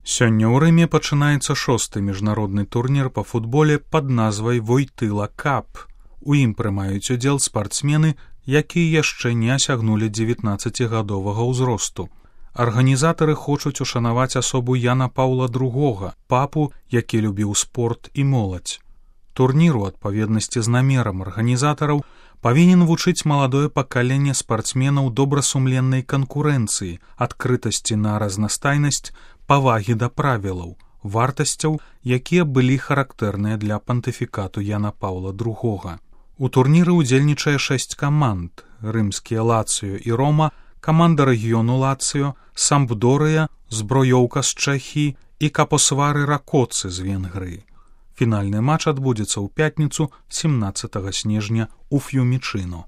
Сёння ў Рыме пачынаецца 6-й міжнародны турнір па футболе пад назвай Войтыла Кап. У ім прымаюць удзел спартсмены, якія яшчэ не асягнулі 19гадовага ўзросту. Арганізатары хочуць ушанаваць асобу Яна Паўла II, папу, які любіў спорт і моладзь. Турнір у адпаведнасці з намерам арганізатараў павінен вучыць маладое пакаленне спартсменаў добрасумленнай канкурэнцыі, адкрытасці на разнастайнасць, павагі да правілаў, вартасцяў, якія былі характэрныя для пантыфікату Яна Паўла II. У турніры ўдзельнічае 6 каманд: рымскія Лацыё і Рома, каманда рэгіёну Лацыё, Сампдорыя, Зброёўка з Чэхіі і Капосвары Ракоцы з Венгрыі. Фінальны матч адбудзецца ў пятніцу 17 снежня ў Ф'юмічыно.